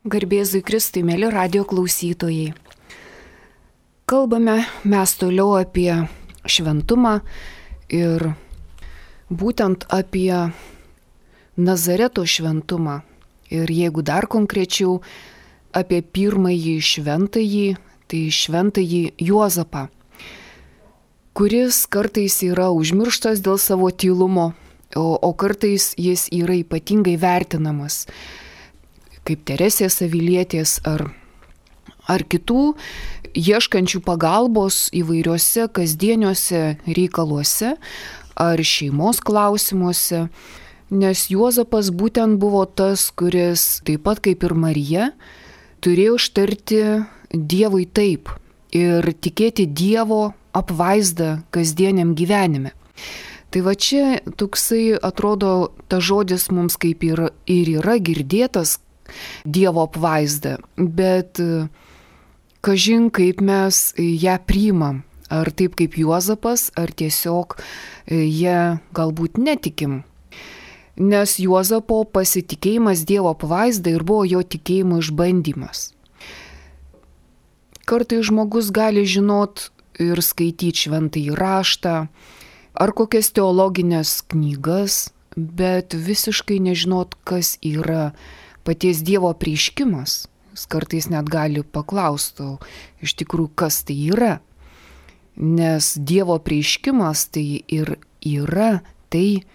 Garbėzui Kristui, mėly radio klausytojai. Kalbame mes toliau apie šventumą ir būtent apie Nazareto šventumą. Ir jeigu dar konkrečiau apie pirmąjį šventąjį, tai šventąjį Juozapą, kuris kartais yra užmirštas dėl savo tylumo, o kartais jis yra ypatingai vertinamas, kaip Teresės Avilietės ar kitų, ieškančių pagalbos įvairiuose kasdieniuose reikaluose ar šeimos klausimuose, nes Juozapas būtent buvo tas, kuris, taip pat kaip ir Marija, turėjo ištarti Dievui taip ir tikėti Dievo apvaizdą kasdieniam gyvenime. Tai va čia toksai atrodo, ta žodis mums kaip ir yra girdėtas, Dievo apvaizda, bet kažin kaip mes ją priimam, ar taip kaip Juozapas, ar tiesiog ją galbūt netikim. Nes Juozapo pasitikėjimas Dievo apvaizda ir buvo jo tikėjimo išbandymas. Kartais žmogus gali žinot ir skaityti šventąjį raštą, ar kokias teologinės knygas, bet visiškai nežinot, kas yra paties Dievo apreiškimas. Jis kartais net gali paklausti, iš tikrųjų, kas tai yra. Nes Dievo apreiškimas tai ir yra tai,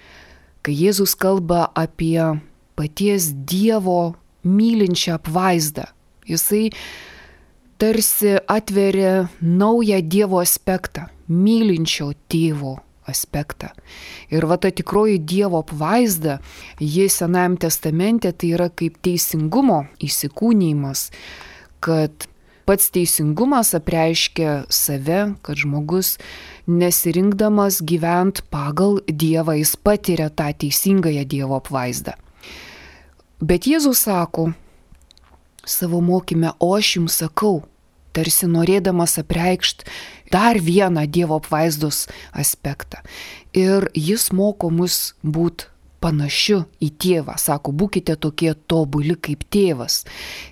kai Jėzus kalba apie paties Dievo mylinčią apvaizdą. Jisai tarsi atveria naują Dievo aspektą, mylinčio tėvo aspektą. Ir va ta tikroji Dievo apvaizda, ji Senajam testamente tai yra kaip teisingumo įsikūnijimas, kad pats teisingumas apreiškia save, kad žmogus nesirinkdamas gyvent pagal Dievą, jis patiria tą teisingąją Dievo apvaizdą. Bet Jėzus sako savo mokyme, o aš jums sakau, tarsi norėdamas apreikšti dar vieną Dievo apvaizdos aspektą. Ir jis moko mus būti panašiu į tėvą. Sako, būkite tokie tobuli kaip tėvas.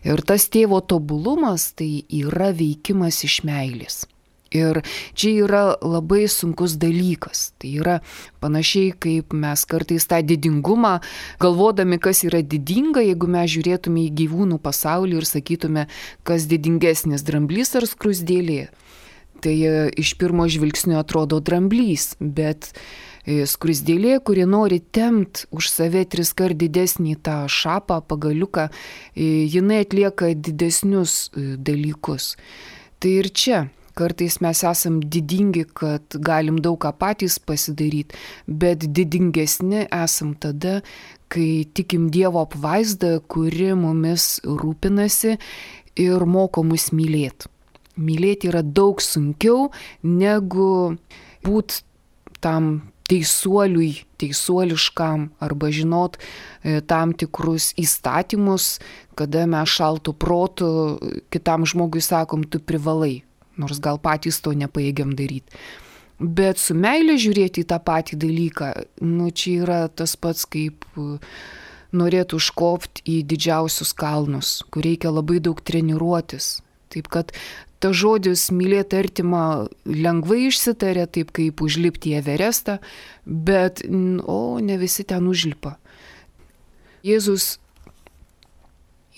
Ir tas tėvo tobulumas tai yra veikimas iš meilės. Ir čia yra labai sunkus dalykas. Tai yra panašiai kaip mes kartais tą didingumą, galvodami, kas yra didinga, jeigu mes žiūrėtume į gyvūnų pasaulį ir sakytume, kas didingesnis, dramblys ar skruzdėlė. Tai iš pirmo žvilgsnio atrodo dramblys, bet skruzdėlė, kuri nori tempt už save 3 kart didesnį tą šapą, pagaliuką, jinai atlieka didesnius dalykus. Tai ir čia. Kartais mes esam didingi, kad galim daug ką patys pasidaryti, bet didingesni esam tada, kai tikim Dievo apvaizdą, kuri mumis rūpinasi ir moko mus mylėti. Mylėti yra daug sunkiau negu būti tam teisuoliškam arba žinot tam tikrus įstatymus, kada mes šaltų protų kitam žmogui sakom, tu privalai. Nors gal patys to nepajėgiam daryti. Bet su meilė žiūrėti į tą patį dalyką, čia yra tas pats, kaip norėtų užkopti į didžiausius kalnus, kur reikia labai daug treniruotis. Taip kad ta žodis mylėti artimą lengvai išsitarė, taip kaip užlipti į Everestą, bet ne visi ten užlipa. Jėzus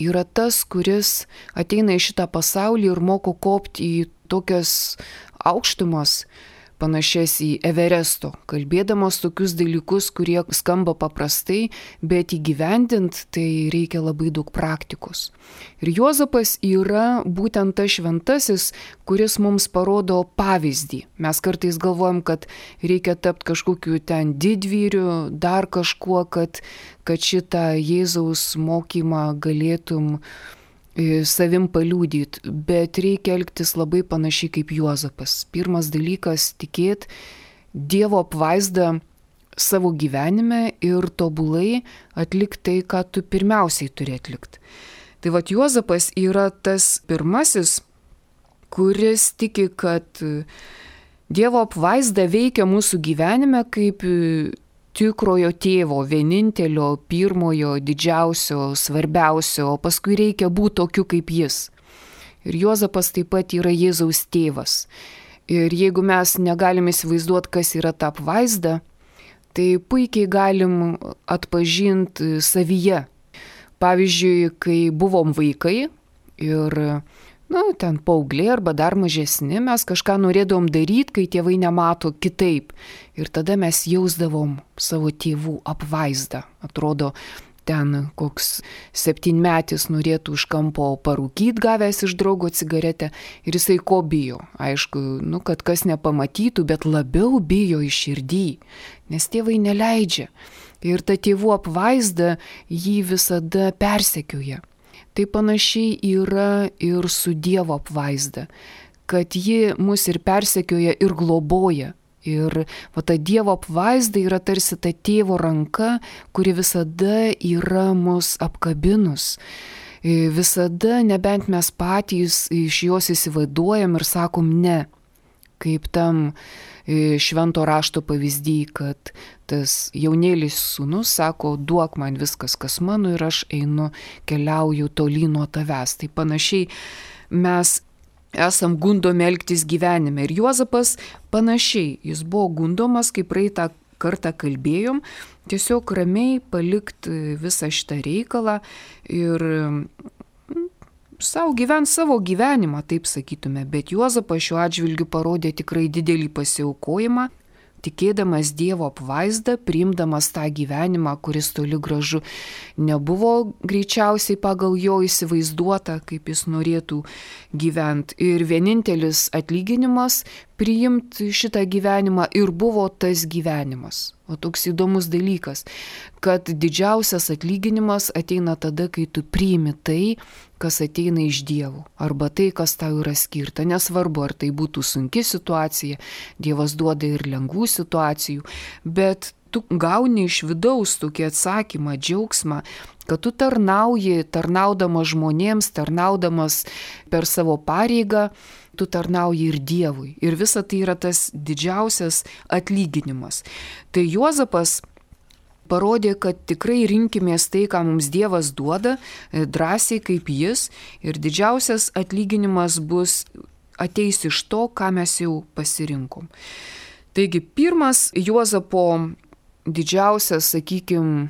yra tas, kuris ateina į šitą pasaulį ir moko kopti į tokias aukštumas, panašias į Everesto, kalbėdamas tokius dalykus, kurie skamba paprastai, bet įgyvendint tai reikia labai daug praktikos. Ir Juozapas yra būtent tas šventasis, kuris mums parodo pavyzdį. Mes kartais galvojam, kad reikia tapti kažkokiu ten didvyriu, dar kažkuo, kad šitą Jėzaus mokymą galėtum savim paliudyti, bet reikia elgtis labai panašiai kaip Juozapas. Pirmas dalykas – tikėti Dievo apvaizdą savo gyvenime ir tobulai atlikti tai, ką tu pirmiausiai turi atlikti. Tai vat Juozapas yra tas pirmasis, kuris tiki, kad Dievo apvaizda veikia mūsų gyvenime kaip tikrojo tėvo, vienintelio, pirmojo, didžiausio, svarbiausio, o paskui reikia būti tokiu kaip jis. Ir Juozapas taip pat yra Jėzaus tėvas. Ir jeigu mes negalim įsivaizduoti, kas yra ta apvaizda, tai puikiai galim atpažinti savyje. Pavyzdžiui, kai buvom vaikai ir ten paaugliai arba dar mažesni, mes kažką norėdavom daryti, kai tėvai nemato kitaip. Ir tada mes jausdavom savo tėvų apvaizdą. Atrodo, ten koks 7-metis norėtų už kampo parūkyti, gavęs iš draugo cigaretę. Ir jisai ko bijo? Aišku, kad kas nepamatytų, bet labiau bijo iš širdį, nes tėvai neleidžia. Ir ta tėvų apvaizda jį visada persekioja. Tai panašiai yra ir su Dievo apvaizda, kad ji mus ir persekioja, ir globoja. Ir ta Dievo apvaizda yra tarsi ta tėvo ranka, kuri visada yra mus apkabinus. Visada, nebent mes patys iš jos įsivaizduojam ir sakom ne. Kaip tam švento rašto pavyzdį, kad tas jaunėlis sūnus sako, duok man viskas, kas mano, ir aš einu, keliauju tolyn nuo tavęs. Tai panašiai mes esam gundomi elgtis gyvenime. Ir Juozapas panašiai, jis buvo gundomas, kaip praeitą kartą kalbėjom, tiesiog ramiai palikti visą šitą reikalą ir gyvent savo gyvenimą, taip sakytume, bet Juozapas šiuo atžvilgiu parodė tikrai didelį pasiaukojimą, tikėdamas Dievo apvaizdą, priimdamas tą gyvenimą, kuris toli gražu nebuvo greičiausiai pagal jo įsivaizduota, kaip jis norėtų gyventi. Ir vienintelis atlyginimas priimti šitą gyvenimą ir buvo tas gyvenimas. O toks įdomus dalykas, kad didžiausias atlyginimas ateina tada, kai tu priimi tai, kas ateina iš Dievo, arba tai, kas tau yra skirta. Nesvarbu, ar tai būtų sunki situacija, Dievas duoda ir lengvų situacijų, bet tu gauni iš vidaus tokį atsakymą, džiaugsmą, kad tu tarnaudamas žmonėms, tarnaudamas per savo pareigą, tu tarnauji ir Dievui. Ir visa tai yra tas didžiausias atlyginimas. Tai Juozapas parodė, kad tikrai rinkimės tai, ką mums Dievas duoda, drąsiai kaip jis, ir didžiausias atlyginimas ateis iš to, ką mes jau pasirinkom. Taigi pirmas Juozapo didžiausias, sakykime,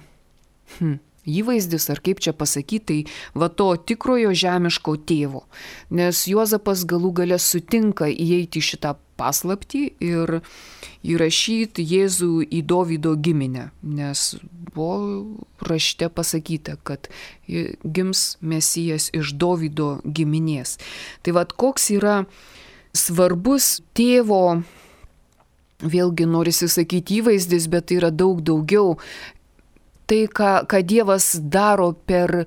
įvaizdis, ar kaip čia pasakyti, tai to tikrojo žemiško tėvo. Nes Juozapas galų gale sutinka įeiti į šitą paslaptį ir įrašyti Jėzų į Dovydo giminę, nes buvo rašte pasakyta, kad gims Mesijas iš Dovydo giminės. Tai koks yra svarbus tėvo, vėlgi norisi sakyti įvaizdis, bet tai yra daug daugiau. Tai, ką Dievas daro per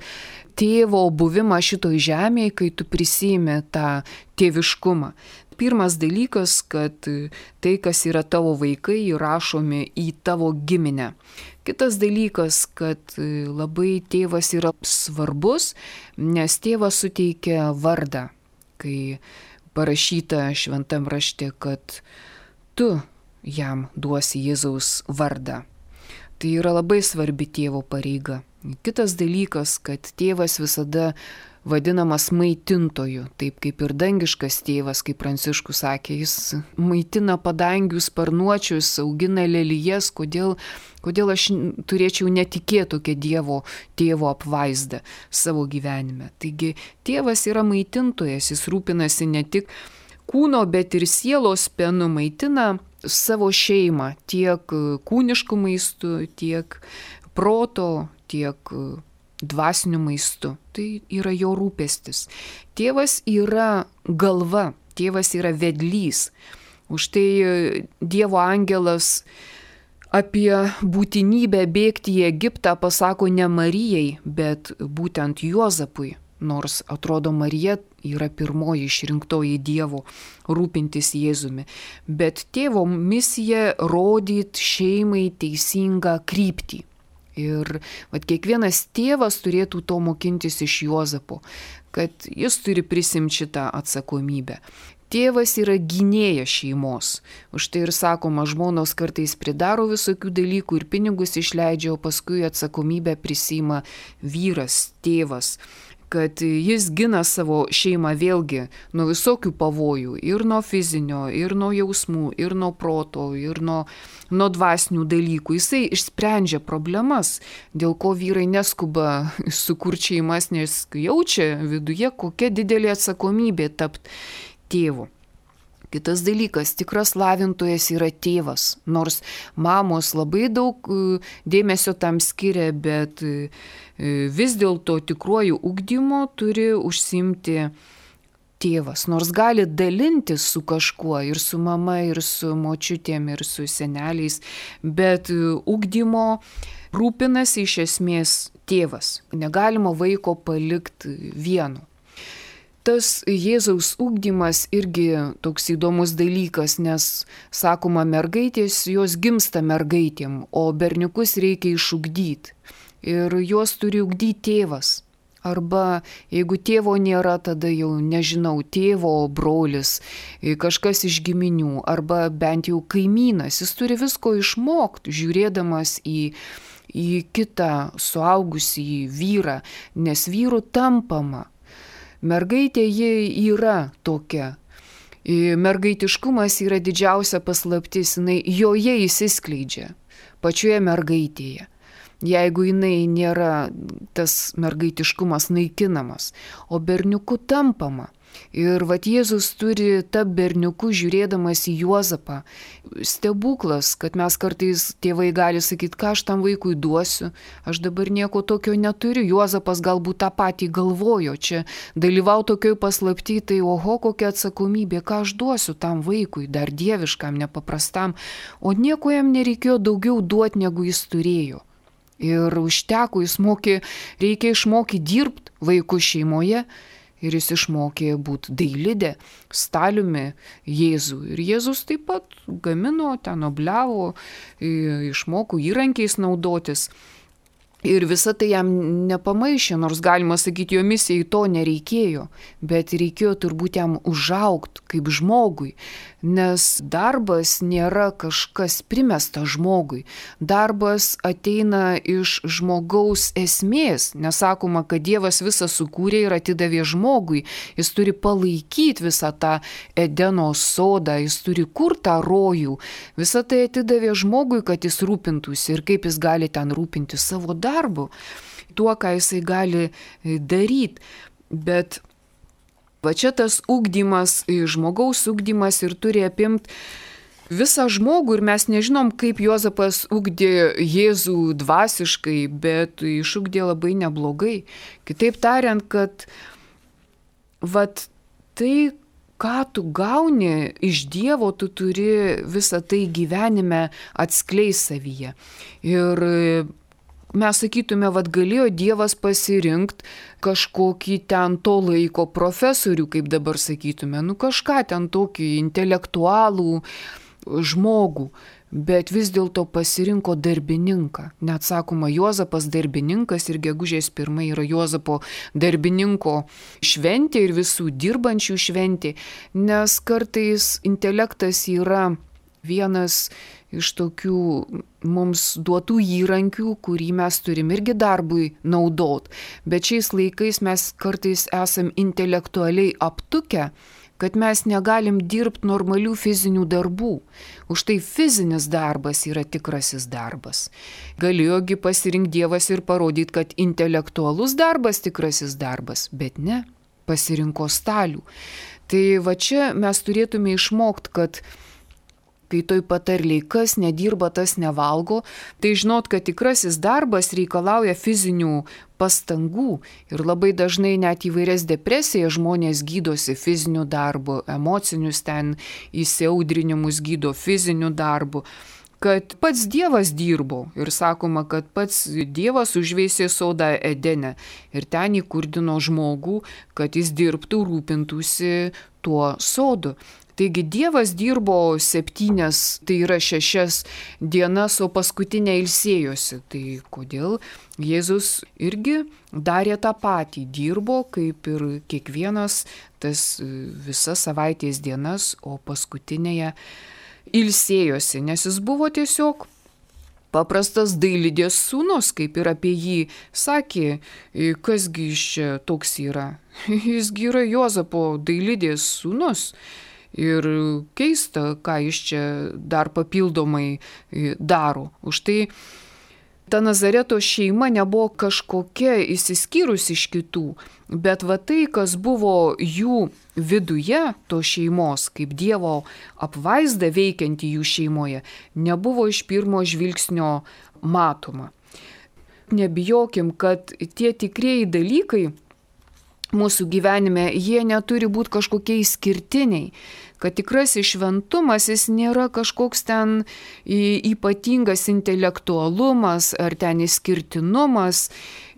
tėvo buvimą šitoj žemėje, kai tu prisiimi tą tėviškumą. Pirmas dalykas, kad tai, kas yra tavo vaikai, įrašomi į tavo giminę. Kitas dalykas, kad labai tėvas yra svarbus, nes tėvas suteikia vardą. Kai parašyta šventam rašte, kad tu jam duosi Jėzaus vardą. Tai yra labai svarbi tėvo pareiga. Kitas dalykas, kad tėvas visada vadinamas maitintoju, taip kaip ir dangiškas tėvas, kaip Pranciškus sakė, jis maitina padangių sparnuočius, augina lelijas, kodėl aš turėčiau netikėti tokią Dievo tėvo apvaizdą savo gyvenime. Taigi tėvas yra maitintojas, jis rūpinasi ne tik kūno, bet ir sielos pienu, maitina savo šeimą tiek kūniškų maistų, tiek proto, tiek dvasiniu maistu. Tai yra jo rūpestis. Tėvas yra galva, tėvas yra vedlys. Už tai Dievo angelas apie būtinybę bėgti į Egiptą pasako ne Marijai, bet būtent Juozapui. Nors atrodo Marija yra pirmoji išrinktoji Dievo rūpintis Jėzumi. Bet tėvo misija rodyti šeimai teisingą kryptį. Ir kiekvienas tėvas turėtų to mokintis iš Juozapo, kad jis turi prisimti šitą atsakomybę. Tėvas yra gynėjas šeimos. Už tai ir sakoma, žmonos kartais pridaro visokių dalykų ir pinigus išleidžia, o paskui atsakomybę prisiima vyras, tėvas, kad jis gina savo šeimą vėlgi nuo visokių pavojų, ir nuo fizinio, ir nuo jausmų, ir nuo proto, ir nuo dvasinių dalykų. Jisai išsprendžia problemas, dėl ko vyrai neskuba sukurti šeimas, nes jaučia viduje, kokia didelė atsakomybė tapti tėvu. Kitas dalykas, tikras lavintojas yra tėvas, nors mamos labai daug dėmesio tam skiria, bet vis dėlto tikruoju ugdymu turi užsiimti tėvas, nors gali dalintis su kažkuo, ir su mama, ir su močiutėm, ir su seneliais, bet ugdymo rūpinasi iš esmės tėvas. Negalima vaiko palikti vieno. Tas Jėzaus ugdymas irgi toks įdomus dalykas, nes, sakoma, mergaitės, jos gimsta mergaitėm, o berniukus reikia išugdyti. Ir juos turi ugdyti tėvas. Arba jeigu tėvo nėra, tada jau nežinau, tėvo brolis, kažkas iš giminių, arba bent jau kaimynas. Jis turi visko išmokti, žiūrėdamas į kitą suaugusį vyrą, nes vyrų tampama. Mergaitė ji yra tokia. Mergaitiškumas yra didžiausia paslaptis, jinai joje įsiskleidžia, pačioje mergaitėje. Jeigu jinai nėra tas mergaitiškumas naikinamas, o berniuku tampama. Ir vat Jėzus turi tą berniuku žiūrėdamas į Juozapą. Stebuklas, kad mes kartais tėvai gali sakyti, ką aš tam vaikui duosiu, aš dabar nieko tokio neturiu. Juozapas galbūt tą patį galvojo, čia dalyvau tokioj paslapty, tai oho, kokia atsakomybė, ką aš duosiu tam vaikui, dar dieviškam, nepaprastam, o nieko jam nereikėjo daugiau duoti, negu jis turėjo. Ir užteko, reikia išmokyti dirbti vaikų šeimoje. Ir jis išmokė būti dailidė, staliumi Jėzų. Ir Jėzus taip pat gamino, ten obliavo, išmoko įrankiais naudotis. Ir visa tai jam nepamaišė, nors galima sakyti, jo misijai to nereikėjo, bet reikėjo turbūt jam užaugti kaip žmogui, nes darbas nėra kažkas primesta žmogui. Darbas ateina iš žmogaus esmės, nesakoma, kad Dievas visą sukūrė ir atidavė žmogui, jis turi palaikyti visą tą Edeno sodą, jis turi kurti tą rojų, visą tai atidavė žmogui, kad jis rūpintųsi ir kaip jis gali ten rūpinti savo darbu, tuo, ką jisai gali daryti. Bet va čia tas ugdymas, žmogaus ugdymas ir turi apimti visą žmogų ir mes nežinom, kaip Juozapas ugdė Jėzų dvasiškai, bet išugdė labai neblogai. Kitaip tariant, kad vat tai, ką tu gauni iš Dievo, tu turi visą tai gyvenime atskleist savyje. Ir mes sakytume, vad galėjo Dievas pasirinkti kažkokį ten to laiko profesorių, kaip dabar sakytume, kažką ten tokį intelektualų žmogų, bet vis dėlto pasirinko darbininką. Net sakoma, Juozapas darbininkas ir gegužės 1 yra Juozapo darbininko šventė ir visų dirbančių šventė, nes kartais intelektas yra vienas iš tokių mums duotų įrankių, kurį mes turim irgi darbui naudot. Bet šiais laikais mes kartais esam intelektualiai aptukę, kad mes negalim dirbti normalių fizinių darbų. Už tai fizinis darbas yra tikrasis darbas. Galėjogi pasirinkti Dievas ir parodyti, kad intelektualus darbas tikrasis darbas, bet ne, pasirinko stalių. Tai va čia mes turėtume išmokti, kad kai toj patarliai, kas nedirba, tas nevalgo, tai žinot, kad tikrasis darbas reikalauja fizinių pastangų ir labai dažnai net įvairias depresijas žmonės gydosi fiziniu darbu, emocinius ten įsiaudrinimus gydo fiziniu darbu, kad pats Dievas dirbo ir sakoma, kad pats Dievas užveisė sodą Edene ir ten įkurdino žmogų, kad jis dirbtų, rūpintųsi tuo sodu. Taigi Dievas dirbo 7, tai yra 6 dienas, o paskutinę ilsėjosi. Tai kodėl Jėzus irgi darė tą patį, dirbo kaip ir kiekvienas tas visas savaitės dienas, o paskutinėje ilsėjosi, nes jis buvo tiesiog paprastas dailidės sūnus, kaip ir apie jį sakė, kasgi iš čia toks yra. Jisgi yra Juozapo dailidės sūnus. Ir keista, ką jis čia dar papildomai daro. Už tai ta Nazareto šeima nebuvo kažkokia išsiskyrus iš kitų, bet va tai, kas buvo jų viduje, to šeimos, kaip Dievo apvaizda veikianti jų šeimoje, nebuvo iš pirmo žvilgsnio matoma. Nebijokim, kad tie tikrieji dalykai mūsų gyvenime, jie neturi būti kažkokie išskirtiniai, kad tikrasis šventumas jis nėra kažkoks ten ypatingas intelektualumas ar ten išskirtinumas.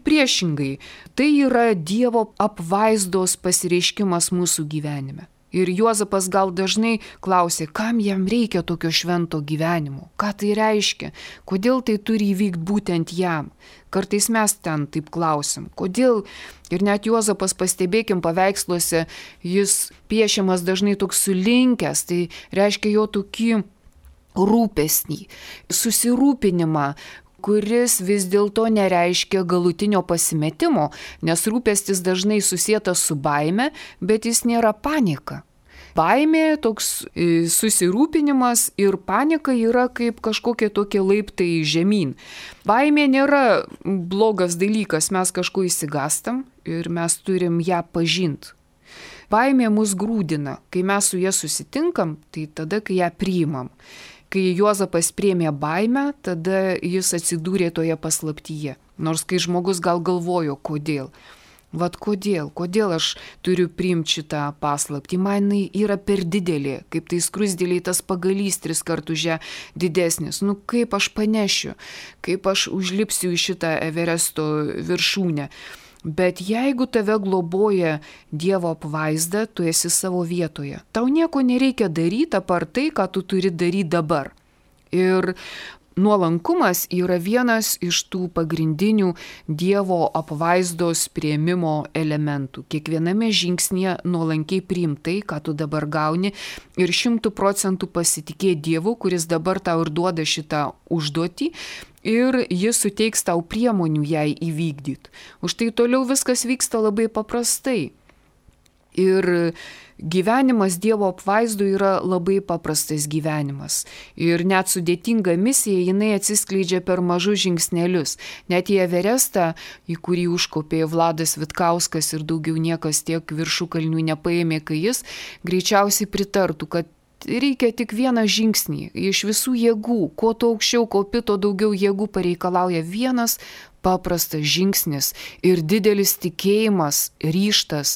Priešingai, tai yra Dievo apvaizdos pasireiškimas mūsų gyvenime. Ir Juozapas gal dažnai klausė, kam jam reikia tokio švento gyvenimo, ką tai reiškia, kodėl tai turi įvykti būtent jam. Kartais mes ten taip klausim, kodėl. Ir net Juozapas, pastebėkim paveiksluose, jis piešiamas dažnai toks sulinkęs, tai reiškia jo tokį rūpesnį, susirūpinimą, kuris vis dėlto nereiškia galutinio pasimetimo, nes rūpestis dažnai susietas su baime, bet jis nėra panika. Baimė, toks susirūpinimas ir panika yra kaip kažkokie tokie laiptai žemyn. Baimė nėra blogas dalykas, mes kažko išsigastam ir mes turim ją pažinti. Baimė mus grūdina, kai mes su ja susitinkam, tai tada, kai ją priimam. Kai Juozapas priėmė baimę, tada jis atsidūrė toje paslaptyje. Nors kai žmogus gal galvojo, kodėl. Vat kodėl aš turiu priimti šitą paslaptį, man yra per didelė, kaip tai skruzdėliai tas pagalys 3 kartus už ją didesnis. Kaip aš panešiu, kaip aš užlipsiu į šitą Everesto viršūnę. Bet jeigu tave globoja Dievo apvaizda, tu esi savo vietoje. Tau nieko nereikia daryti apart tai, ką tu turi daryti dabar. Ir nuolankumas yra vienas iš tų pagrindinių Dievo apvaizdos priėmimo elementų. Kiekviename žingsnyje nuolankiai priimtai, ką tu dabar gauni ir 100% pasitikėti Dievu, kuris dabar tau ir duoda šitą užduotį. Ir jis suteiks tau priemonių jai įvykdyti. Už tai toliau viskas vyksta labai paprastai. Ir gyvenimas Dievo apvaizdu yra labai paprastas gyvenimas. Ir net sudėtinga misija, jinai atsiskleidžia per mažus žingsnelius. Net į Everestą, į kurį užkopė Vladas Vitkauskas ir daugiau niekas tiek viršukalnių nepaėmė, kai jis greičiausiai pritartų, kad reikia tik vieną žingsnį iš visų jėgų. Kuo tu aukščiau kopi, to daugiau jėgų pareikalauja vienas paprastas žingsnis ir didelis tikėjimas, ryžtas.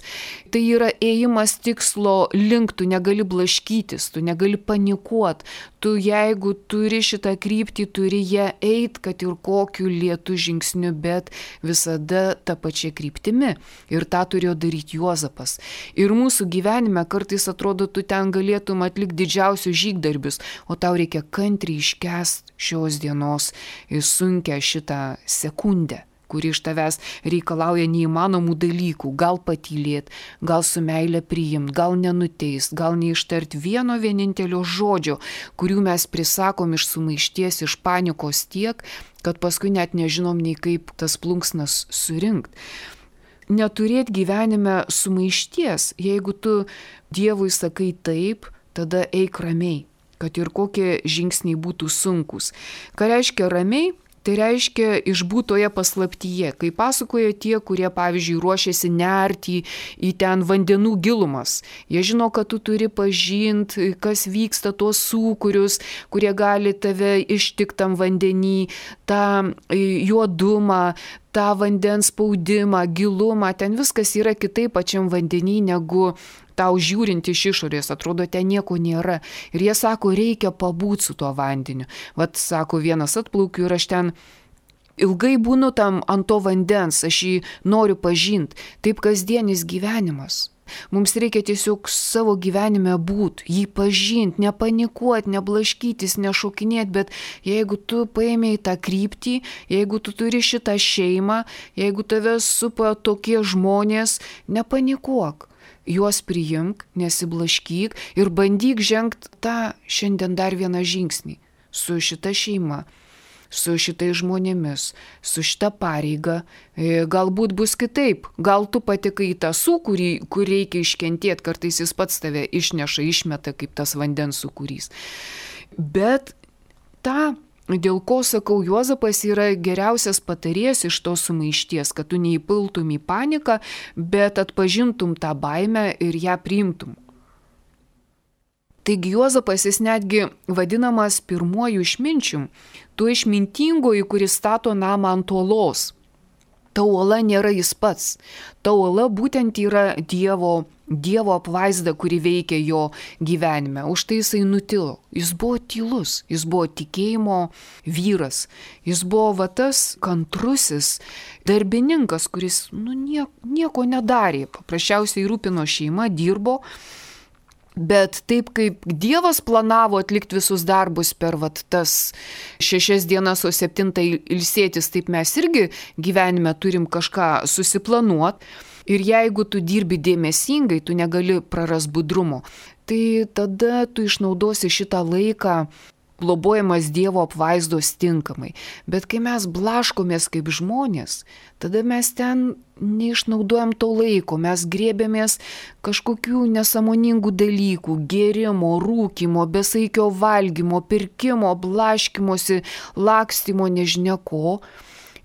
Tai yra ėjimas tikslo link, tu negali blaškytis, tu negali panikuoti. Tu jeigu turi šitą kryptį, turi ją eit, kad ir kokiu lėtu žingsniu, bet visada tą pačią kryptimi. Ir tą turėjo daryti Juozapas. Ir mūsų gyvenime kartais atrodo, tu ten galėtum atlikti didžiausius žygdarbius, o tau reikia kantriai iškęsti šios dienos sunkią šitą sekundę, kuri iš tavęs reikalauja neįmanomų dalykų, gal patylėti, gal su meile priimti, gal nenuteist, gal neištart vieno vienintelio žodžio, kurių mes prisakom iš sumaišties, iš panikos tiek, kad paskui net nežinom nei kaip tas plunksnas surinkti. Neturėti gyvenime sumaišties, jeigu tu Dievui sakai taip, tada eik ramiai, kad ir kokie žingsniai būtų sunkus. Ką reiškia ramiai? Tai reiškia išbūtoje paslaptyje, kai pasakoja tie, kurie, pavyzdžiui, ruošiasi nerti į ten vandenų gilumas. Jie žino, kad tu turi pažinti, kas vyksta tuos sūkurius, kurie gali tave ištikti tam vandenį, tą juodumą, tą vandens spaudimą, gilumą. Ten viskas yra kitaip pačiam vandenį negu tau žiūrint iš išorės, atrodo, ten nieko nėra. Ir jie sako, reikia pabūti su tuo vandeniu. Vat, sako, vienas atplaukiu ir aš ten ilgai būnu tam ant to vandens, aš jį noriu pažinti. Taip kasdienis gyvenimas. Mums reikia tiesiog savo gyvenime būti, jį pažinti, nepanikuoti, neblaškytis, nešokinėti, bet jeigu tu paėmė į tą kryptį, jeigu tu turi šitą šeimą, jeigu tave supa tokie žmonės, nepanikuok. Juos priimk, nesiblaškyk ir bandyk žengti tą šiandien dar vieną žingsnį su šita šeima, su šitais žmonėmis, su šita pareiga. Galbūt bus kitaip, gal tu patekai į tą sūkurį, kur reikia iškentėti, kartais jis pats tave išneša, išmeta kaip tas vandens sūkurys. Bet tą, dėl ko sakau, Juozapas yra geriausias patarėjas iš tos sumaišties, kad tu neįpiltum į paniką, bet atpažintum tą baimę ir ją priimtum. Taigi Juozapas jis netgi vadinamas pirmuoju išminčium, tuo išmintingoju, kuris stato namą ant uolos. Ta uola nėra jis pats, ta uola būtent yra Dievo apvaizda, kuri veikia jo gyvenime. Už tai jisai nutilo. Jis buvo tylus, jis buvo tikėjimo vyras, jis buvo tas kantrusis darbininkas, kuris nieko nedarė, paprasčiausiai rūpino šeimą, dirbo. Bet taip kaip Dievas planavo atlikti visus darbus per tas 6 dienas, o 7 ilsėtis, taip mes irgi gyvenime turim kažką susiplanuoti. Ir jeigu tu dirbi dėmesingai, tu negali praras budrumo, tai tada tu išnaudosi šitą laiką globojamas Dievo apvaizdos tinkamai. Bet kai mes blaškomės kaip žmonės, tada mes ten neišnaudojam to laiko, mes grėbėmės kažkokių nesąmoningų dalykų, gėrimo, rūkymo, besaikio valgymo, pirkimo, blaškymosi, lakstymo, nežinia ko.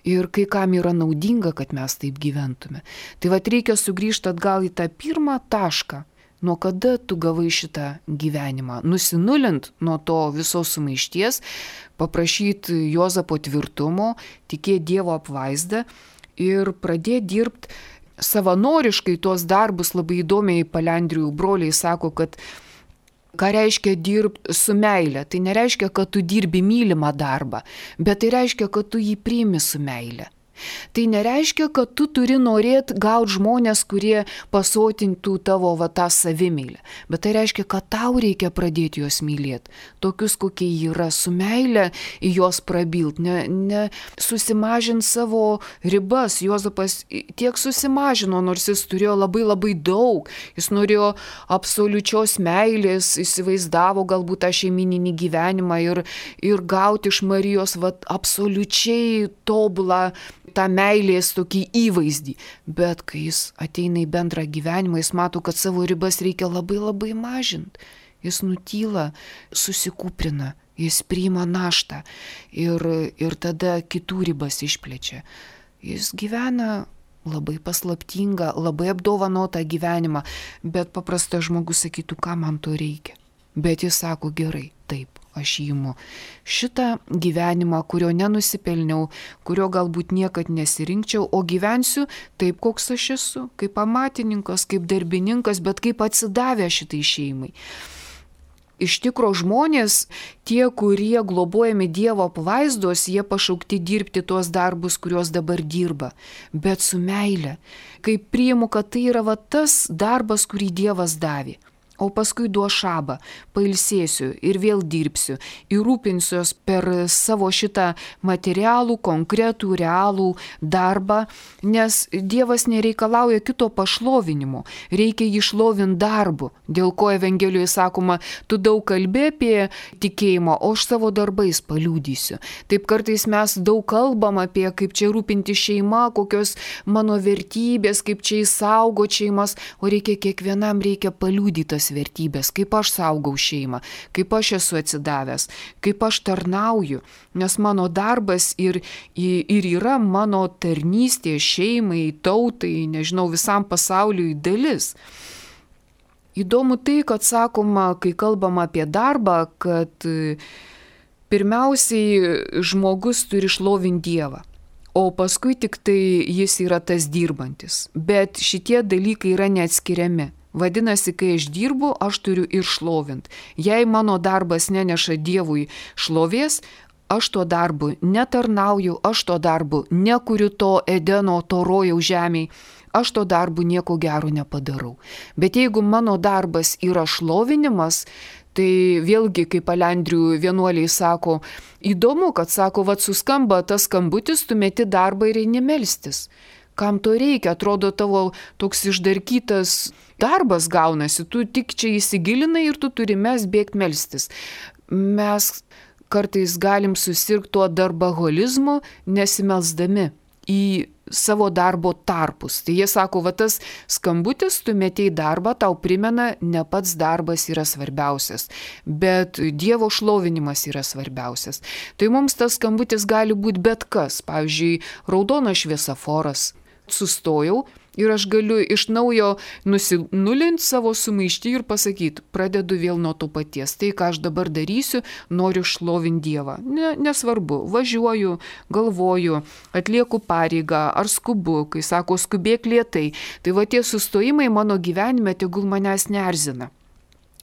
Ir kai kam yra naudinga, kad mes taip gyventume. Tai reikia sugrįžti atgal į tą pirmą tašką. Nuo kada tu gavai šitą gyvenimą? Nusinulint nuo to visos sumaišties, paprašyti Juozapo tvirtumo, tikėti Dievo apvaizdą ir pradėti dirbti savanoriškai tuos darbus. Labai įdomiai Palendrijų broliai sako, kad ką reiškia dirbti su meile? Tai nereiškia, kad tu dirbi mylimą darbą, bet tai reiškia, kad tu jį priimi su meile. Tai nereiškia, kad tu turi norėti gauti žmonės, kurie pasotintų tavo tą savimylę. Bet tai reiškia, kad tau reikia pradėti juos mylėti. Tokius, kokie yra, su meile į juos prabilt. Ne susimažint savo ribas. Juozapas tiek susimažino, nors jis turėjo labai labai daug. Jis norėjo absoliučios meilės, įsivaizdavo galbūt tą šeimininį gyvenimą ir gauti iš Marijos absoliučiai tobulą tą meilės tokį įvaizdį. Bet kai jis ateina į bendrą gyvenimą, jis mato, kad savo ribas reikia labai labai mažinti. Jis nutyla, susikūprina, jis priima naštą ir tada kitų ribas išplečia. Jis gyvena labai paslaptingą, labai apdovanotą gyvenimą, bet paprastas žmogus sakytų, ką man to reikia. Bet jis sako, gerai, taip. Aš įimu šitą gyvenimą, kurio nenusipelniau, kurio galbūt niekad nesirinkčiau, o gyvensiu taip, koks aš esu, kaip amatininkas, kaip darbininkas, bet kaip atsidavę šitai šeimai. Iš tikro žmonės, tie, kurie globojami Dievo apvaizdos, jie pašaukti dirbti tuos darbus, kuriuos dabar dirba, bet su meile. Kai priimu, kad tai yra tas darbas, kurį Dievas davė. O paskui duos šabą, pailsėsiu ir vėl dirbsiu ir rūpinsiuos per savo šitą materialų, konkretų, realų darbą, nes Dievas nereikalauja kito pašlovinimo, reikia jį šlovinti darbu, dėl ko Evangelijoje sakoma, tu daug kalbė apie tikėjimą, o aš savo darbais paliudysiu. Taip kartais mes daug kalbam apie, kaip čia rūpinti šeima, kokios mano vertybės, kaip čia įsaugo šeimas, o kiekvienam reikia paliudytas vertybės, kaip aš saugau šeimą, kaip aš esu atsidavęs, kaip aš tarnauju, nes mano darbas ir yra mano tarnystė šeimai, tautai, nežinau, visam pasauliui dalis. Įdomu tai, kad sakoma, kai kalbam apie darbą, kad pirmiausiai žmogus turi šlovinti Dievą, o paskui tik tai jis yra tas dirbantis. Bet šitie dalykai yra neatskiriami. Vadinasi, kai aš dirbu, aš turiu ir šlovinti. Jei mano darbas neneša Dievui šlovės, aš tuo darbu netarnauju, aš tuo darbu nekuriu to Edeno, to rojaus žemėj, aš to darbu nieko gero nepadarau. Bet jeigu mano darbas yra šlovinimas, tai vėlgi, kaip Alendrių vienuoliai sako, įdomu, kad sako, vat suskamba tas skambutis, tu meti darbą ir eini melstis. Kam to reikia? Atrodo, tavo toks išdarkytas darbas gaunasi, tu tik čia įsigilinai ir tu turi bėgti melstis. Mes kartais galim susirgti tuo darbaholizmu, nesimelsdami į savo darbo tarpus. Tai jie sako, va tas skambutis, tu metei darbą, tau primena, ne pats darbas yra svarbiausias, bet Dievo šlovinimas yra svarbiausias. Tai mums tas skambutis gali būti bet kas. Pavyzdžiui, raudonas šviesaforas. Sustojau ir aš galiu iš naujo nulinti savo sumaištį ir pasakyti, pradedu vėl nuo to paties. Tai, ką aš dabar darysiu, noriu šlovinti Dievą. Nesvarbu, važiuoju, galvoju, atlieku pareigą ar skubu, kai sako skubėk lėtai. Tai va tie sustojimai mano gyvenime tegul manęs neerzina.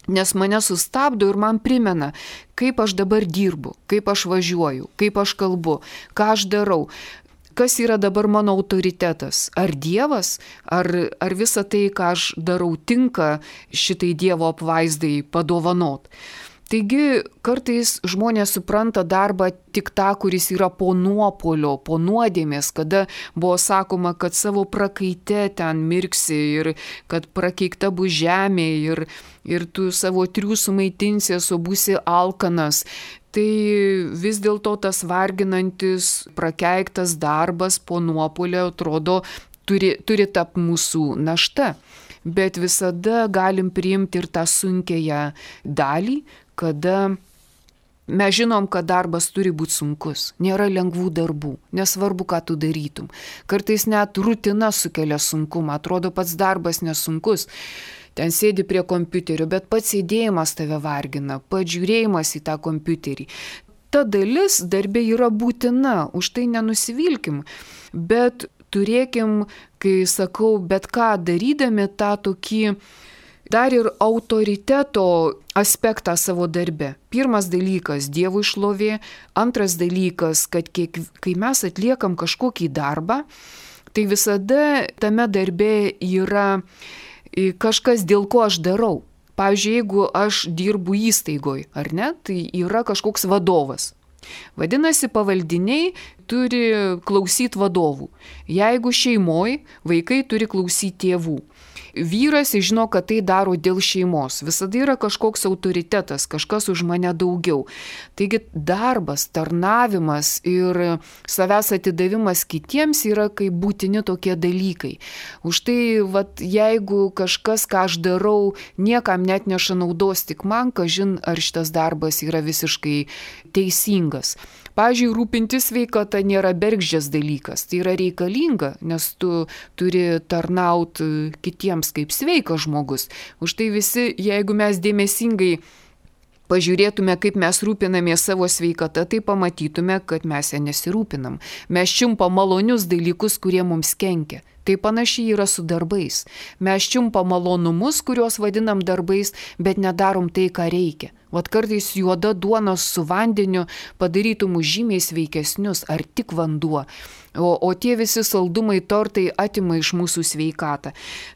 Nes mane sustabdo ir man primena, kaip aš dabar dirbu, kaip aš važiuoju, kaip aš kalbu, ką aš darau. Kas yra dabar mano autoritetas? Ar Dievas, ar visa tai, ką aš darau, tinka šitai Dievo apvaizdai padovanot? Taigi kartais žmonės supranta darbą tik tą, kuris yra po nuopuolio, po nuodėmės, kada buvo sakoma, kad savo prakaite ten mirksi ir kad prakeikta bus žemė ir tu savo triūsų maitinsies, o būsi alkanas. Tai vis dėlto tas varginantis, prakeiktas darbas po nuopuolio atrodo turi tapti mūsų našta. Bet visada galim priimti ir tą sunkiąją dalį, kada mes žinom, kad darbas turi būti sunkus. Nėra lengvų darbų, nesvarbu, ką tu darytum. Kartais net rutina sukelia sunkumą, atrodo pats darbas nesunkus. Ten sėdi prie kompiuterio, bet pats sėdėjimas tave vargina, pats žiūrėjimas į tą kompiuterį. Ta dalis darbė yra būtina, už tai nenusivilkim, bet turėkim, kai sakau, bet ką darydami tą tokį dar ir autoriteto aspektą savo darbe. Pirmas dalykas – Dievui šlovė, antras dalykas, kad kai mes atliekam kažkokį darbą, tai visada tame darbe yra kažkas, dėl ko aš darau. Pavyzdžiui, jeigu aš dirbu įstaigoj, ar ne, tai yra kažkoks vadovas. Vadinasi, pavaldiniai turi klausyti vadovų. Jeigu šeimoj, vaikai turi klausyti tėvų. Vyras žino, kad tai daro dėl šeimos. Visada yra kažkoks autoritetas, kažkas už mane daugiau. Taigi darbas, tarnavimas ir savęs atidavimas kitiems yra kaip būtini tokie dalykai. Už tai, jeigu kažkas, ką aš darau, niekam net neša naudos, tik man, kažin, ar šitas darbas yra visiškai teisingas. Pavyzdžiui, rūpintis sveikata nėra bergždžias dalykas, tai yra reikalinga, nes tu turi tarnauti kitiems kaip sveikas žmogus. Už tai visi, jeigu mes dėmesingai pažiūrėtume, kaip mes rūpinamės savo sveikata, tai pamatytume, kad mes ją nesirūpinam. Mes čiumpam malonius dalykus, kurie mums kenkia. Tai panašiai yra su darbais. Mes čiumpam malonumus, kuriuos vadinam darbais, bet nedarom tai, ką reikia. Vat kartais juoda duona su vandeniu padarytų mus žymiai sveikesnius, ar tik vanduo. O tie visi saldumai, tortai atima iš mūsų sveikatą.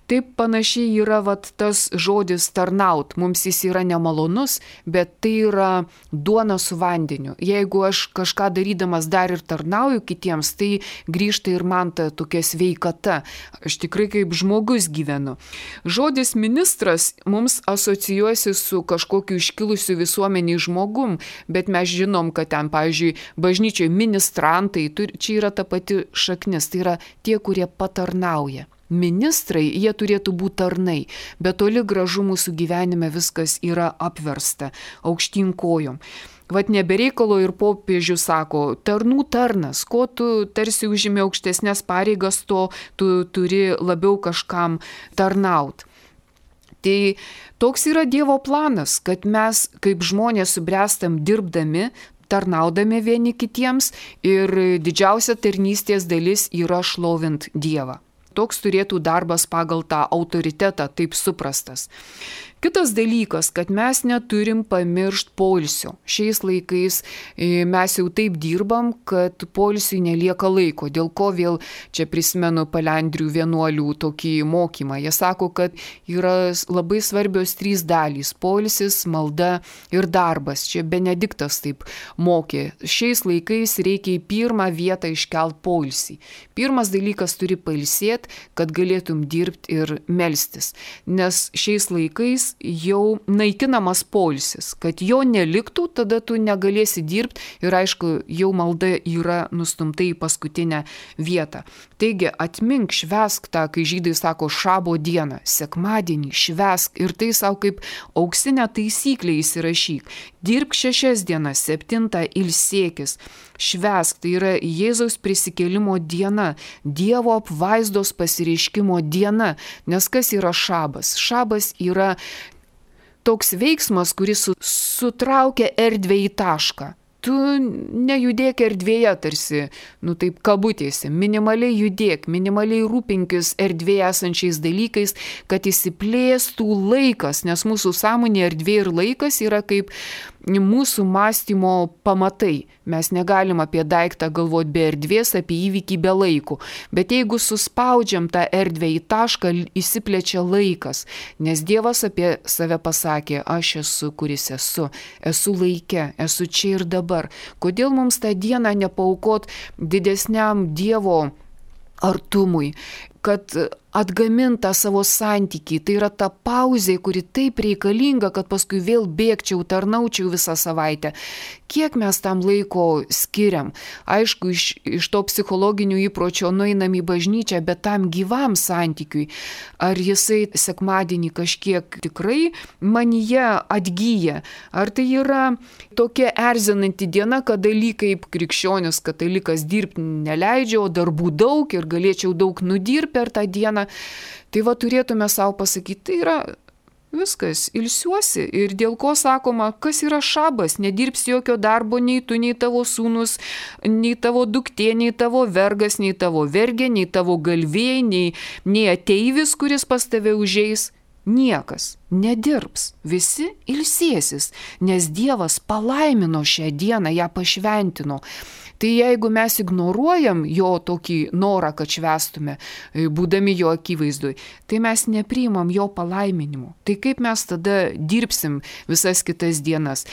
Taip panašiai yra tas žodis tarnaut. Mums jis yra nemalonus, bet tai yra duona su vandeniu. Jeigu aš kažką darydamas dar ir tarnauju kitiems, tai grįžta ir man ta tokia sveikata. Aš tikrai kaip žmogus gyvenu. Žodis ministras mums asocijuosi su kažkokiu iškilusiu visuomeniai žmogum, bet mes žinom, kad ten, pavyzdžiui, bažnyčioje ministrantai, čia yra ta pati šaknis, tai yra tie, kurie patarnauja. Ministrai, jie turėtų būti tarnai, bet toli gražu mūsų gyvenime viskas yra apversta aukštyn kojom. Nebereikalo ir popiežius sako, tarnų tarnas, ko tu tarsi užimi aukštesnės pareigas, to tu turi labiau kažkam tarnaut. Tai toks yra Dievo planas, kad mes kaip žmonės subręstam dirbdami, tarnaudami vieni kitiems ir didžiausia tarnystės dalis yra šlovint Dievą. Toks turėtų darbas pagal tą autoritetą, taip suprastas. Kitas dalykas, kad mes neturim pamiršti poilsio. Šiais laikais mes jau taip dirbam, kad poilsiui nelieka laiko. Dėl ko vėl čia prisimenu palendrių vienuolių tokį mokymą. Jie sako, kad yra labai svarbios 3 dalys – poilsis, malda ir darbas. Čia Benediktas taip mokė. Šiais laikais reikia į pirmą vietą iškelt poilsį. Pirmas dalykas turi pailsėti, kad galėtum dirbti ir melstis. Nes šiais laikais jau naikinamas poilsis. Kad jo neliktų, tada tu negalėsi dirbti ir aišku, jau malda yra nustumta į paskutinę vietą. Taigi atmink, švęsk tą, kai žydai sako šabo dieną, sekmadienį, švęsk ir tai savo kaip auksinę taisyklę įsirašyk. Dirbk 6 dienas, 7 ilsėkis. Švęsk, tai yra Jėzaus prisikėlimo diena, Dievo apvaizdos pasireiškimo diena. Nes kas yra šabas? Šabas yra toks veiksmas, kuris sutraukia erdvę į tašką. Tu nejudėk erdvėje tarsi, taip kabutėse, minimaliai judėk, minimaliai rūpinkis erdvėje esančiais dalykais, kad įsiplėstų laikas, nes mūsų sąmonė erdvė ir laikas yra kaip mūsų mąstymo pamatai. Mes negalim apie daiktą galvoti be erdvės, apie įvykį be laiko. Bet jeigu suspaudžiam tą erdvę į tašką, įsiplečia laikas. Nes Dievas apie save pasakė, aš esu, kuris esu laike, esu čia ir dabar. Kodėl mums tą dieną nepaukot didesniam Dievo artumui, kad atgamintą savo santykį, tai yra ta pauzė, kuri taip reikalinga, kad paskui vėl bėgčiau, tarnaučiau visą savaitę. Kiek mes tam laiko skiriam? Aišku, iš to psichologinių įpročio nueinam į bažnyčią, bet tam gyvam santykiui. Ar jisai sekmadienį kažkiek tikrai manyje atgyja? Ar tai yra tokia erzinanti diena, kada lyg kaip krikščionis katalikas dirbti neleidžia, o darbų daug ir galėčiau daug nudirbti per tą dieną? Tai va turėtume savo pasakyti, tai yra viskas, ilsiuosi. Ir dėl ko sakoma, kas yra šabas, nedirbsi jokio darbo, nei tu, nei tavo sūnus, nei tavo duktė, nei tavo vergas, nei tavo vergė, nei tavo galvėjai, nei ateivis, kuris pas tave užeis. Niekas nedirbs, visi ilsėsis, nes Dievas palaimino šią dieną, ją pašventino. Tai jeigu mes ignoruojam jo tokį norą, kad švęstume, būdami jo akivaizdui, tai mes nepriimam jo palaiminimo. Tai kaip mes tada dirbsim visas kitas dienas?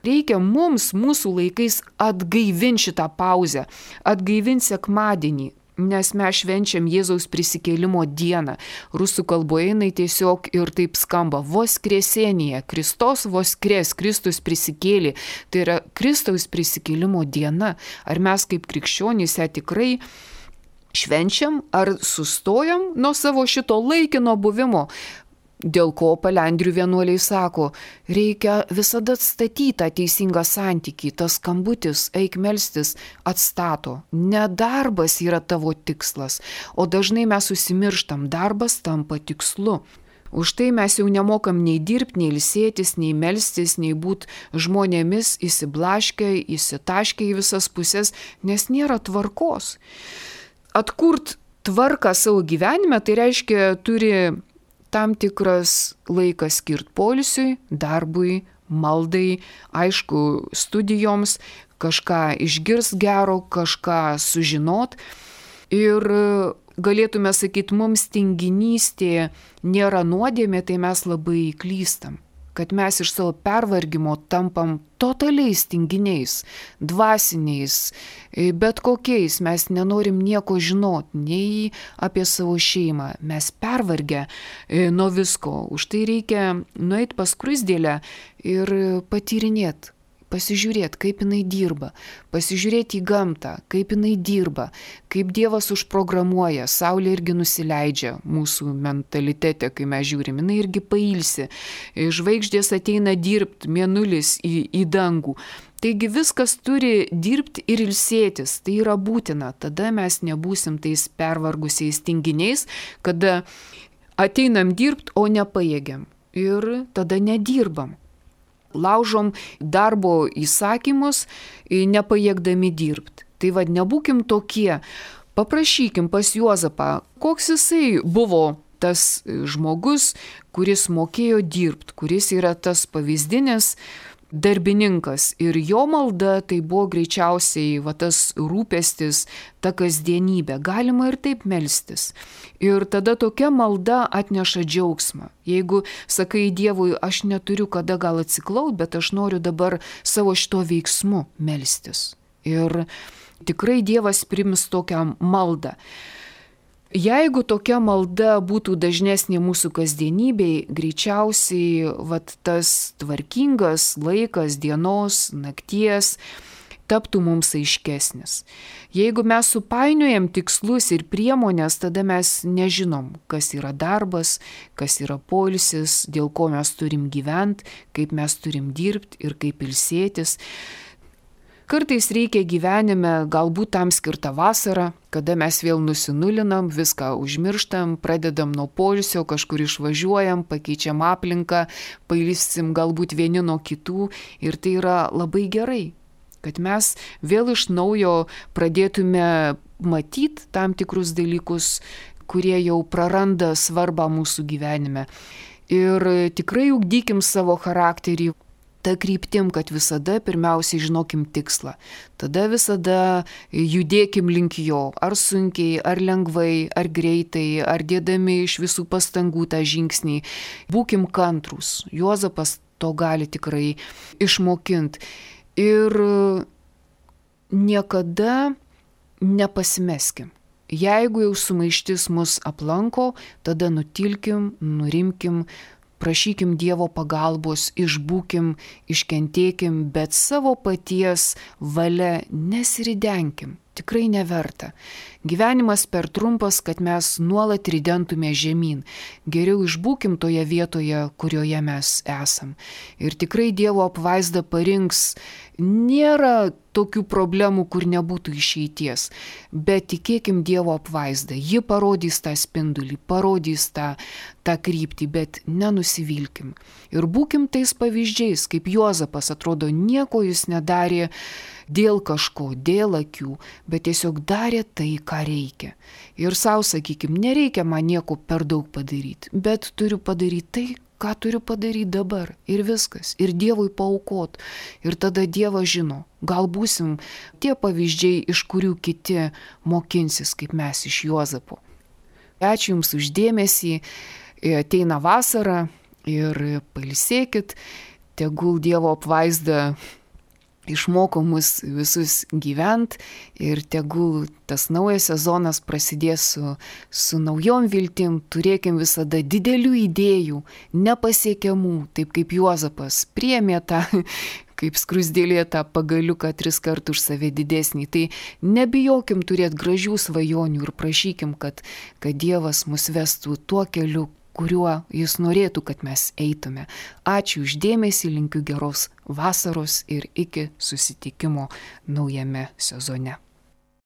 Reikia mums mūsų laikais atgaivinti šitą pauzę, atgaivinti sekmadienį. Nes mes švenčiam Jėzaus prisikėlimo dieną. Rusų kalboje jinai tiesiog ir taip skamba voskresenija, Kristos voskres, Kristus prisikėlė. Tai yra Kristaus prisikėlimo diena. Ar mes kaip krikščionys ją tikrai švenčiam, ar sustojam nuo savo šito laikino buvimo? Dėl ko palendrių vienuoliai sako, reikia visada atstatyti tą teisingą santykį, tas skambutis, eik melstis, atstato. Ne darbas yra tavo tikslas, o dažnai mes užsimirštam, darbas tampa tikslu. Už tai mes jau nemokam nei dirbti, nei ilsėtis, nei melstis, nei būti žmonėmis įsiblaškę, įsitaškę į visas pusės, nes nėra tvarkos. Atkurt tvarką savo gyvenime, tai reiškia turi tam tikras laikas skirti poilsiui, darbui, maldai, aišku, studijoms, kažką išgirs gero, kažką sužinot. Ir galėtume sakyti, mums tinginystė nėra nuodėmė, tai mes labai klystam. Kad mes iš savo pervargimo tampam totaliais tinginiais, dvasiniais, bet kokiais. Mes nenorim nieko žinot, nei apie savo šeimą. Mes pervargę nuo visko. Už tai reikia nueiti pas skruzdėlę ir patyrinėti. Pasižiūrėti, kaip jinai dirba, pasižiūrėti į gamtą, kaip jinai dirba, kaip Dievas užprogramuoja, saulė irgi nusileidžia mūsų mentalitete, kai mes žiūrim, jinai irgi pailsi, žvaigždės ateina dirbti, mėnulis į dangų. Taigi viskas turi dirbti ir ilsėtis, tai yra būtina, tada mes nebūsim tais pervargusiais tinginiais, kada ateinam dirbti, o nepajėgiam ir tada nedirbam. Laužom darbo įsakymus, nepajėgdami dirbti. Tai nebūkim tokie. Paprašykim pas Juozapą, koks jisai buvo tas žmogus, kuris mokėjo dirbti, kuris yra tas pavyzdinis darbininkas. Ir jo malda tai buvo greičiausiai tas rūpestis, ta kasdienybė. Galima ir taip melstis. Ir tada tokia malda atneša džiaugsmą. Jeigu sakai Dievui, aš neturiu kada gal atsiklaut, bet aš noriu dabar savo šito veiksmu melstis. Ir tikrai Dievas priims tokią maldą. Jeigu tokia malda būtų dažnesnė mūsų kasdienybėj, greičiausiai tas tvarkingas laikas dienos, nakties taptų mums aiškesnis. Jeigu mes supainiojam tikslus ir priemonės, tada mes nežinom, kas yra darbas, kas yra poilsis, dėl ko mes turim gyventi, kaip mes turim dirbti ir kaip ilsėtis. Kartais reikia gyvenime galbūt tam skirtą vasarą, kada mes vėl nusinulinam, viską užmirštam, pradedam nuo poilsio, kažkur išvažiuojam, pakeičiam aplinką, pailsim galbūt vieni nuo kitų ir tai yra labai gerai, kad mes vėl iš naujo pradėtume matyti tam tikrus dalykus, kurie jau praranda svarbą mūsų gyvenime. Ir tikrai ugdykim savo charakterį ta kryptim, kad visada pirmiausiai žinokim tikslą. Tada visada judėkim link jo, ar sunkiai, ar lengvai, ar greitai, ar dėdami iš visų pastangų tą žingsnį. Būkim kantrūs. Juozapas to gali tikrai išmokinti. Ir niekada nepasimeskim. Jeigu jau sumaištis mus aplanko, tada nutilkim, nurimkim, prašykim Dievo pagalbos, išbūkim, iškentėkim, bet savo paties valia nesiridenkim. Tikrai neverta. Gyvenimas per trumpas, kad mes nuolat ridentume žemyn. Geriau išbūkim toje vietoje, kurioje mes esam. Ir tikrai Dievo apvaizda parinks. Nėra tokių problemų, kur nebūtų išeities. Bet tikėkim Dievo apvaizdą. Ji parodys tą spindulį, parodys tą kryptį, bet nenusivilkim. Ir būkim tais pavyzdžiais, kaip Juozapas, atrodo, nieko jis nedarė dėl kažko, dėl akių, bet tiesiog darė tai, ką reikia. Ir savo sakykim, nereikia man nieko per daug padaryti, bet turiu padaryti tai, ką turiu padaryti dabar. Ir viskas. Ir Dievui paaukot. Ir tada Dievas žino, gal būsim tie pavyzdžiai, iš kurių kiti mokinsis, kaip mes iš Juozapo. Ačiū Jums už dėmesį. Ateina vasara ir pailsėkit. Tegul Dievo apvaizda išmoko mus visus gyvent ir tegul tas naujas sezonas prasidės su naujom viltim, turėkim visada didelių idėjų, nepasiekiamų, taip kaip Juozapas priėmė tą, kaip skruzdėlė tą pagaliuką 3 kartus už save didesnį. Tai nebijokim turėti gražių svajonių ir prašykim, kad Dievas mus vestų tuo keliu, kuriuo Jis norėtų, kad mes eitume. Ačiū už dėmesį, linkiu geros vasaros ir iki susitikimo naujame sezone.